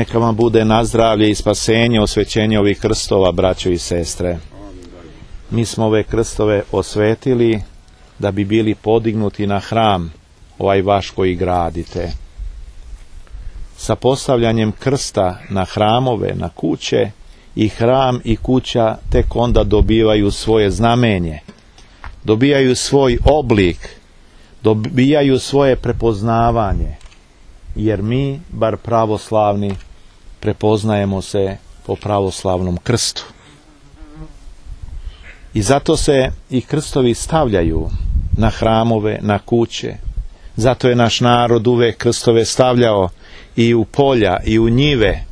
Neka vam bude nazdravlje i spasenje, osvećenje ovih krstova, braćo i sestre. Mi smo ove krstove osvetili da bi bili podignuti na hram, ovaj vaš koji gradite. Sa postavljanjem krsta na hramove, na kuće, i hram i kuća tek onda dobivaju svoje znamenje, dobijaju svoj oblik, dobijaju svoje prepoznavanje, jer mi, bar pravoslavni, prepoznajemo se po pravoslavnom krstu. I zato se i krstovi stavljaju na hramove, na kuće. Zato je naš narod uvek krstove stavljao i u polja i u njive,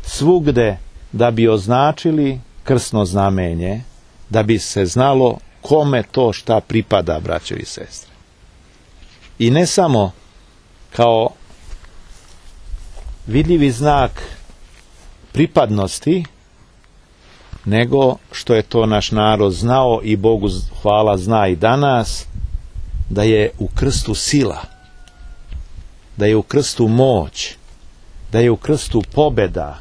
svugde, da bi označili krstno znamenje, da bi se znalo kome to šta pripada, braćo i sestre. I ne samo kao vidljivi znak pripadnosti, nego što je to naš narod znao i Bogu hvala zna i danas, da je u krstu sila, da je u krstu moć, da je u krstu pobeda,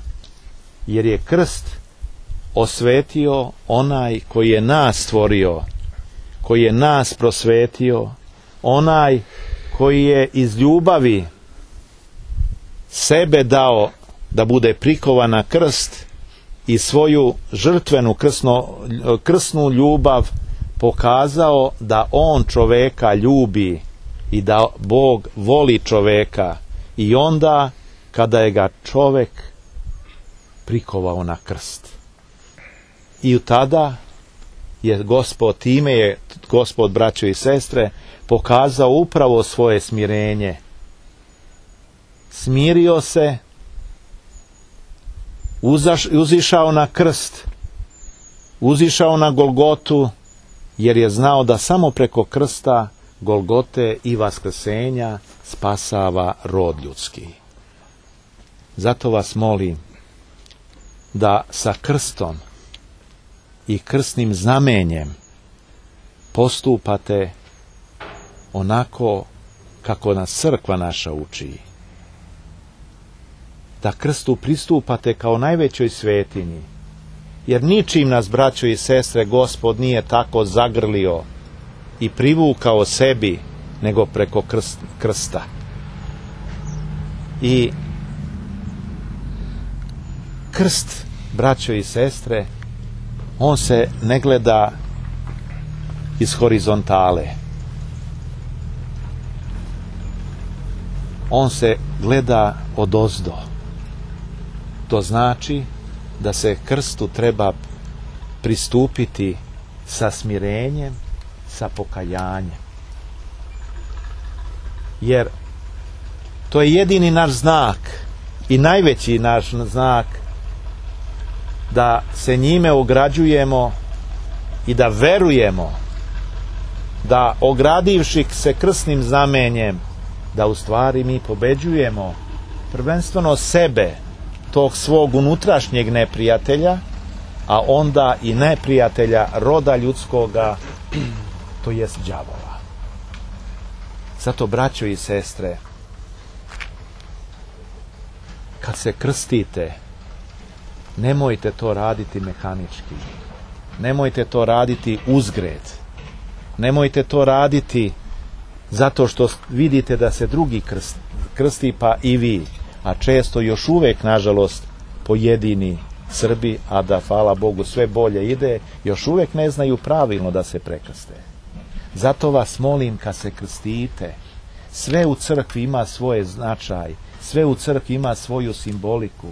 jer je krst osvetio onaj koji je nas stvorio, koji je nas prosvetio, onaj koji je iz ljubavi sebe dao da bude prikovan na krst i svoju žrtvenu krsnu ljubav pokazao da on čoveka ljubi i da Bog voli čoveka, i onda kada je ga čovek prikovao na krst. I tada je Gospod, time je Gospod, braćo i sestre, pokazao upravo svoje smirenje. Smirio se, uzišao na krst, uzišao na Golgotu, jer je znao da samo preko krsta, Golgote i vaskrsenja spasava rod ljudski. Zato vas molim da sa krstom i krstnim znamenjem postupate onako kako nas crkva naša uči. Da krstu pristupate kao najvećoj svetinji, jer ničim nas, braćo i sestre, Gospod nije tako zagrlio i privukao sebi, nego preko krsta. I krst, braćo i sestre, on se ne gleda iz horizontale. On se gleda odozdo. To znači da se krstu treba pristupiti sa smirenjem, sa pokajanjem. Jer to je jedini naš znak i najveći naš znak da se njime ograđujemo i da verujemo da, ogradivši se krstnim znamenjem, da u stvari mi pobeđujemo prvenstveno sebe, tog svog unutrašnjeg neprijatelja, a onda i neprijatelja roda ljudskoga, to jest đavola. Zato, braćo i sestre, kad se krstite, nemojte to raditi mehanički, nemojte to raditi uzgred, nemojte to raditi zato što vidite da se drugi krsti, pa i vi, a često još uvek, nažalost, pojedini Srbi, a da, hvala Bogu, sve bolje ide, još uvek ne znaju pravilno da se prekrste. Zato vas molim, kad se krstite, sve u crkvi ima svoje značaj, sve u crkvi ima svoju simboliku,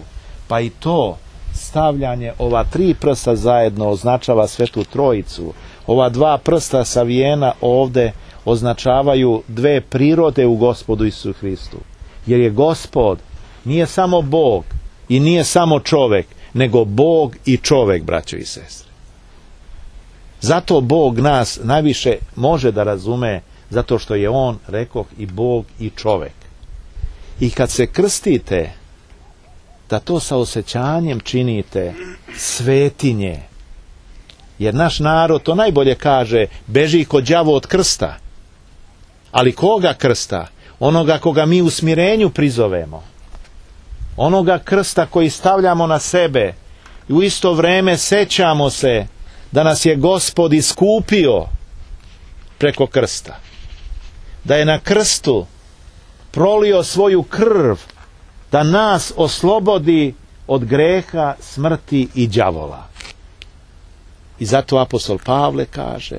pa i to stavljanje ova 3 prsta zajedno označava Svetu Trojicu, ova 2 prsta savijena ovde označavaju 2 prirode u Gospodu Isusu Hristu, jer je Gospod nije samo Bog i nije samo čovek, nego Bog i čovek, braćo i sestre. Zato Bog nas najviše može da razume, zato što je On, rekoh, i Bog i čovek. I kad se krstite, da to sa osjećanjem činite svetinje. Jer naš narod to najbolje kaže, beži ko đavo od krsta. Ali koga krsta? Onoga koga mi u smirenju prizovemo. onoga krsta koji stavljamo na sebe, i u isto vrijeme sećamo se da nas je Gospod iskupio preko krsta, da je na krstu prolio svoju krv da nas oslobodi od greha, smrti i đavola. I zato apostol Pavle kaže,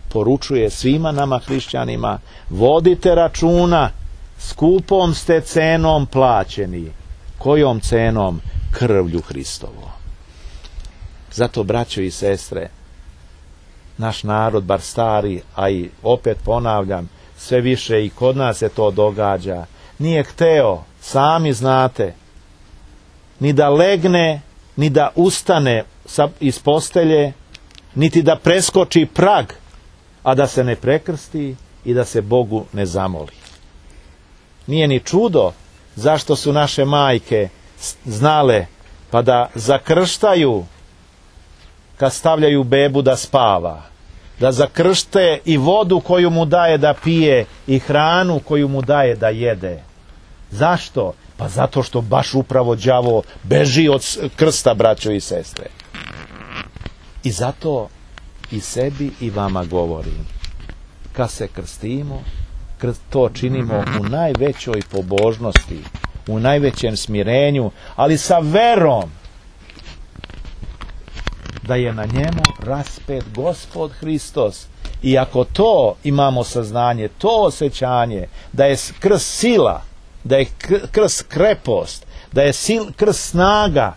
poručuje svima nama hrišćanima, vodite računa, skupom ste cenom plaćeni. Kojom cenom? Krvlju Hristovo. Zato, braćo i sestre, naš narod, bar stari, a i opet ponavljam, sve više i kod nas se to događa, nije hteo, sami znate, ni da legne, ni da ustane iz postelje, niti da preskoči prag, a da se ne prekrsti i da se Bogu ne zamoli. Nije ni čudo zašto su naše majke znale pa da zakrštaju kad stavljaju bebu da spava, da zakršte i vodu koju mu daje da pije i hranu koju mu daje da jede. Zašto? Pa zato što baš upravo đavo beži od krsta, braćo i sestre. I zato i sebi i vama govorim, kad se krstimo, to činimo u najvećoj pobožnosti, u najvećem smirenju, ali sa verom da je na njemu raspet Gospod Hristos. I ako to imamo saznanje, to osjećanje, da je krst sila, da je krst krepost, da je krst snaga,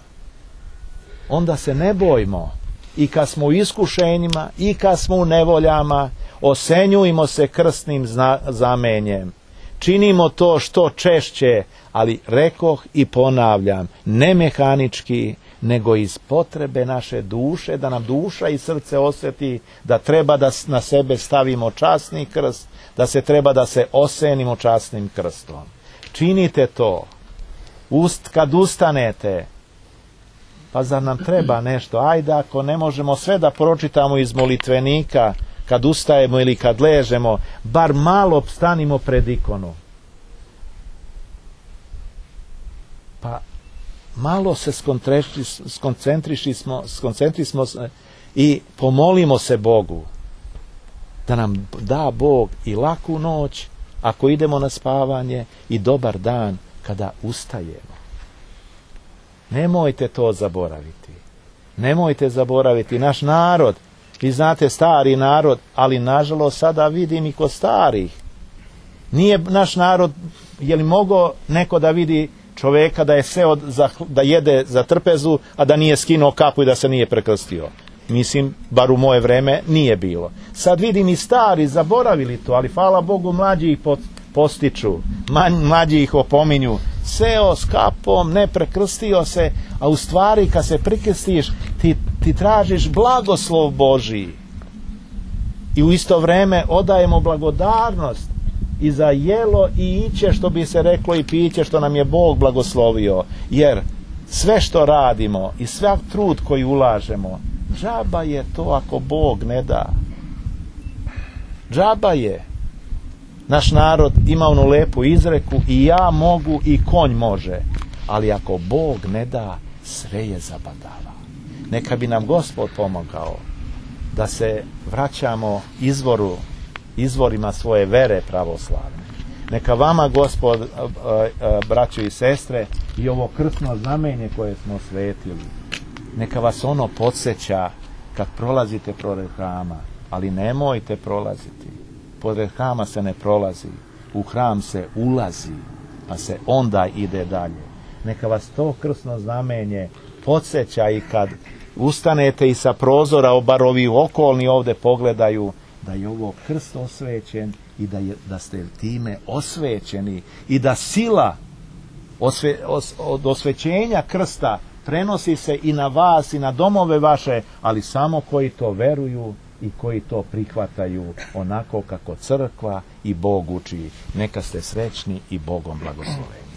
onda se ne bojmo. I kad smo u iskušenjima, i kad smo u nevoljama, osenjujmo se krstnim znamenjem. Činimo to što češće, ali rekoh i ponavljam, ne mehanički, nego iz potrebe naše duše, da nam duša i srce osjeti da treba da na sebe stavimo časni krst, da se treba da se osenimo časnim krstom. Činite to. Kad ustanete, pa zar nam treba nešto? Ajde, ako ne možemo sve da pročitamo iz molitvenika, kad ustajemo ili kad ležemo, bar malo stanimo pred ikonu. Pa malo se skoncentrismo i pomolimo se Bogu da nam da Bog i laku noć ako idemo na spavanje i dobar dan kada ustajemo. Nemojte to zaboraviti. Nemojte zaboraviti naš narod. Vi znate, stari narod, ali nažalost sada vidim i kod starih. Nije naš narod, je li mogao neko da vidi čoveka da je seo da jede za trpezu, a da nije skinuo kapu i da se nije prekrstio? Mislim, bar u moje vreme nije bilo. Sad vidim i stari zaboravili to, ali hvala Bogu mlađi ih postiču, mlađi ih opominju. Seo s kapom, ne prekrstio se, a u stvari kad se prekrstiš ti tražiš blagoslov Božiji. I u isto vrijeme odajemo blagodarnost i za jelo i iće, što bi se reklo, i piće što nam je Bog blagoslovio. Jer sve što radimo i sve trud koji ulažemo, džaba je to ako Bog ne da. Džaba je. Naš narod ima onu lepu izreku, i ja mogu i konj može, ali ako Bog ne da, sve je zabadava. Neka bi nam Gospod pomogao da se vraćamo izvorima svoje vere pravoslavne. Neka vama Gospod, braćo i sestre, i ovo krstno znamenje koje smo svetili, neka vas ono podsjeća kad prolazite pored hrama, ali nemojte prolaziti. Pored hrama se ne prolazi, u hram se ulazi, pa se onda ide dalje. Neka vas to krstno znamenje podsjeća i kad ustanete i sa prozora, bar ovi okolni ovdje pogledaju, da je ovo krst osvećen i da ste time osvećeni i da sila od osvećenja krsta prenosi se i na vas i na domove vaše, ali samo koji to veruju i koji to prihvataju onako kako crkva i Bog uči. Neka ste srećni i Bogom blagosloveni.